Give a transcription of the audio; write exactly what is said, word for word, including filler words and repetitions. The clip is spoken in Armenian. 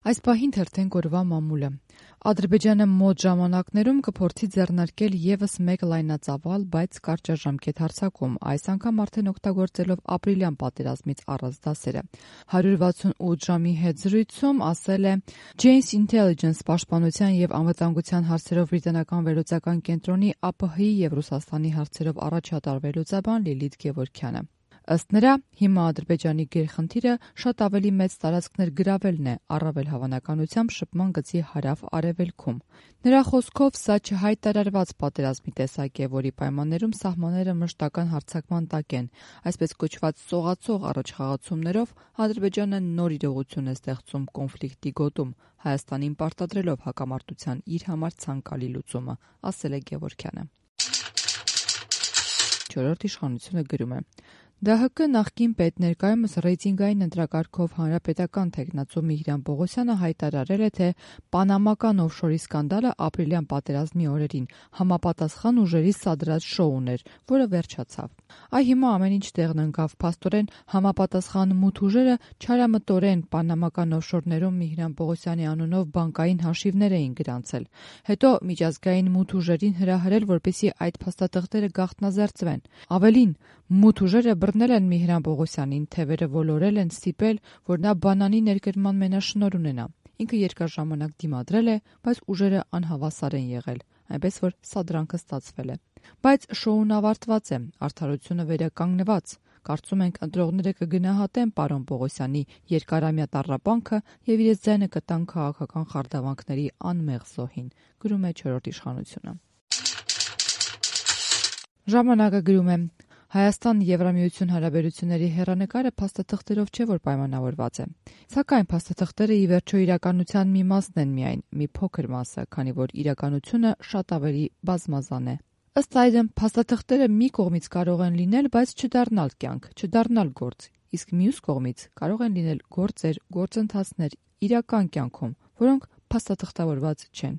Այս պահին թերթենք օրվա մամուլը։ Ադրբեջանը մոտ ժամանակներում կփորձի ձեռնարկել ևս մեկ լայնածավալ, բայց կարճաժամկետ հարձակում, այս անգամ արդեն օգտագործելով ապրիլյան պատերազմից առած դասերը։ հարյուր վաթսունութ ժամի հետ զրույցում ասել է Janes Intelligence պաշտպանության և անվտանգության հարցերով բրիտանական վերլուծական կենտրոնի ԱՊՀ-ի և Ռուսաստանի հարցերով առաջատար վերլուծաբան Լիլիթ Գևորգյանը։ Ըստ նրա, հիմա Ադրբեջանի գերխնդիրը շատ ավելի մեծ տարածքներ գրավելն է, առավել հավանականությամբ շփման գծի հարավ-արևելքում։ Նրա խոսքով, սա չհայտարարված պատերազմի տեսակ է, որի պայմաններում սահմանները մշտական հարձակման տակ են, այսպես կոչված սողացող առաջխաղացումներով Ադրբեջանը նոր իրողություն է ստեղծում կոնֆլիկտի գոտում, Հայաստանին պարտադրելով հակամարտության իր համար ցանկալի լուծումը, ասել է Գևորգյանը։ Չորրորդ իշխանությունը գրում է. ԴՀԿ նախկին պետ ներկայումս ռեյտինգային ընտրակարգով հանրապետական թեկնածու Միհրան Պողոսյանը հայտարարել է, թե պանամական օֆշորի սկանդալը ապրիլյան պատերազմի օրերին համապատասխան ուժերի սադրած շոուն էր, որը վերջացավ։ Այ հիմա ամեն ինչ տեղն ընկավ, փաստորեն համապատասխան մութ ուժերը չարամտորեն պանամական օֆշորներում Միհրան Պողոսյանի անունով բանկային հաշիվներ էին գրանցել, հետո միջազգային մութ ուժերին հրահրել, որպեսզի այդ փաստաթղթերը գաղտնազերծվեն։ Ավելին, մութ ուժերը բռնել են Միհրան Պողոսյանին, թևերը ոլորել են, ստիպել, որ նա բանանի ներկրման մենաշնորհ ունենա։ Ինքը երկար ժամանակ դիմադրել է, բայց ուժերը անհավասար են եղել, այնպես որ սադրանքը ստացվել է։ Բայց շոուն ավարտված է, արդարությունը վերականգնված։ Կարծում ենք ընտրողները կգնահատեն պարոն Պողոսյանի երկարամյա տառապանքը և իրենց ձայնը կտան քաղաքական խարդավանքների անմեղ զոհին, գրում է չորրորդ իշխանությունը։ Ժամանակը գրում է. Հայաստան-Եվրամիություն հարաբերությունների հեռանկարը փաստաթղթերով չէ, որ պայմանավորված է։ Սակայն փաստաթղթերը ի վերջո իրականության մի մասն են միայն, մի փոքր մասը, քանի որ իրականությունը շատ ավելի բազմազան է։ Ըստ այդմ, փաստաթղթերը մի կողմից կարող են լինել, բայց չդառնալ կյանք, չդառնալ գործ, իսկ մյուս կողմից կարող են լինել գործեր, գործընթացներ իրական կյանքում, որոնք փաստաթղթավորված չեն։